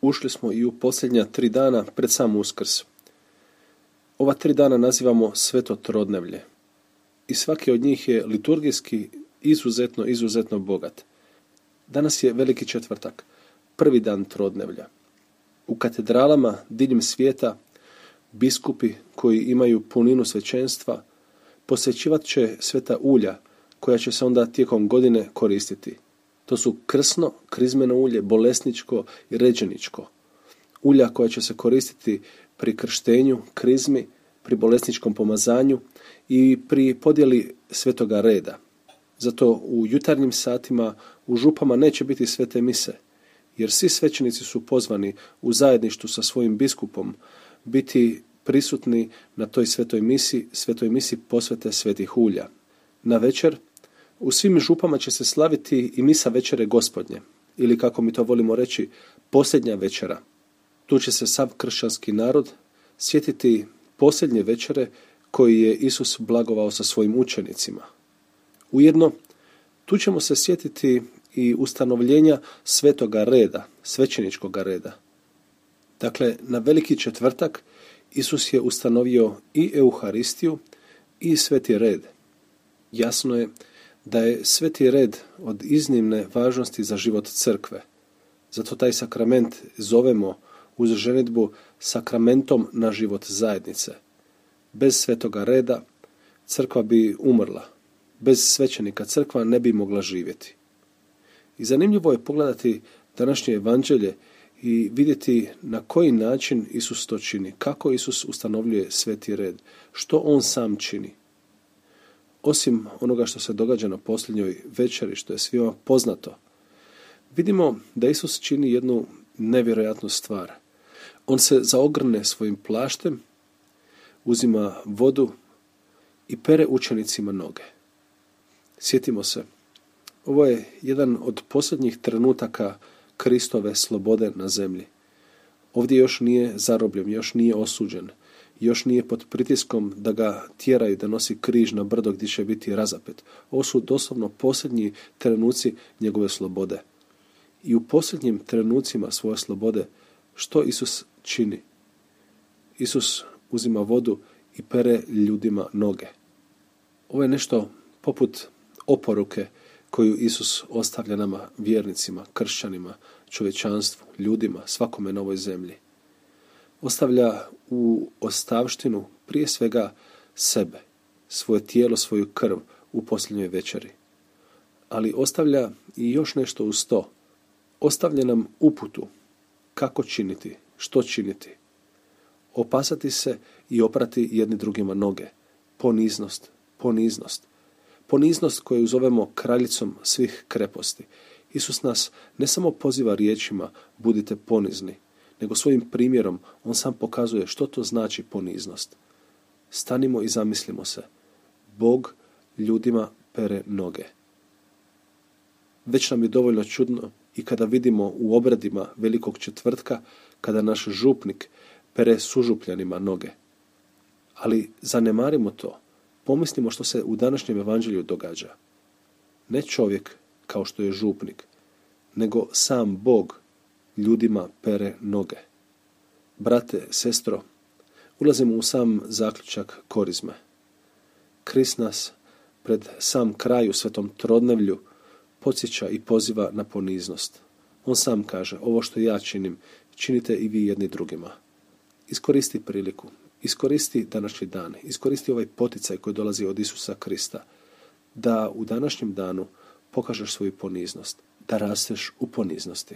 ušli smo i u posljednja 3 dana pred sam Uskrs. Ova 3 dana nazivamo Sveto Trodnevlje i svaki od njih je liturgijski izuzetno bogat. Danas je Veliki četvrtak, prvi dan Trodnevlja. U katedralama diljem svijeta biskupi koji imaju puninu svećenstva posvećivat će sveta ulja koja će se onda tijekom godine koristiti. To su krsno, krizmeno ulje, bolesničko i ređeničko. Ulja koja će se koristiti pri krštenju, krizmi, pri bolesničkom pomazanju i pri podjeli svetoga reda. Zato u jutarnjim satima u župama neće biti svete mise, jer svi svećenici su pozvani u zajedništvu sa svojim biskupom biti prisutni na toj svetoj misi posvete svetih ulja. Na večer u svim župama će se slaviti i misa večere Gospodnje, ili kako mi to volimo reći, posljednja večera. Tu će se sav kršćanski narod sjetiti posljednje večere koji je Isus blagovao sa svojim učenicima. Ujedno, tu ćemo se sjetiti i ustanovljenja svetoga reda, svećeničkoga reda. Dakle, na Veliki četvrtak Isus je ustanovio i Euharistiju i sveti red. Jasno je da je sveti red od iznimne važnosti za život crkve. Zato taj sakrament zovemo uz ženidbu sakramentom na život zajednice. Bez svetoga reda crkva bi umrla. Bez svećenika crkva ne bi mogla živjeti. I zanimljivo je pogledati današnje evanđelje i vidjeti na koji način Isus to čini, kako Isus ustanovljuje sveti red, što on sam čini. Osim onoga što se događa na posljednjoj večeri, što je svima poznato, vidimo da Isus čini jednu nevjerojatnu stvar. On se zaogrne svojim plaštem, uzima vodu i pere učenicima noge. Sjetimo se, ovo je jedan od posljednjih trenutaka Kristove slobode na zemlji. Ovdje još nije zarobljen, još nije osuđen, još nije pod pritiskom da ga tjeraju da nosi križ na brdo gdje će biti razapet. Ovo su doslovno posljednji trenuci njegove slobode. I u posljednjim trenucima svoje slobode što Isus čini? Isus uzima vodu i pere ljudima noge. Ovo je nešto poput oporuke koju Isus ostavlja nama, vjernicima, kršćanima, čovječanstvu, ljudima, svakome na ovoj zemlji. Ostavlja u ostavštinu prije svega sebe, svoje tijelo, svoju krv u posljednjoj večeri. Ali ostavlja i još nešto uz to. Ostavlja nam uputu kako činiti, što činiti. Opasati se i oprati jedni drugima noge. Poniznost. Poniznost koju zovemo kraljicom svih kreposti. Isus nas ne samo poziva riječima budite ponizni, nego svojim primjerom on sam pokazuje što to znači poniznost. Stanimo i zamislimo se. Bog ljudima pere noge. Već nam je dovoljno čudno i kada vidimo u obredima Velikog četvrtka, kada naš župnik pere sužupljanima noge. Ali zanemarimo to. Pomislimo što se u današnjem evanđelju događa. Ne čovjek kao što je župnik, nego sam Bog ljudima pere noge. Brate, sestro, ulazimo u sam zaključak korizme. Krist nas pred sam kraj u Svetom Trodnevlju podsjeća i poziva na poniznost. On sam kaže, ovo što ja činim, činite i vi jedni drugima. Iskoristi priliku, iskoristi današnji dan, iskoristi ovaj poticaj koji dolazi od Isusa Krista, da u današnjem danu pokažeš svoju poniznost, da rasteš u poniznosti.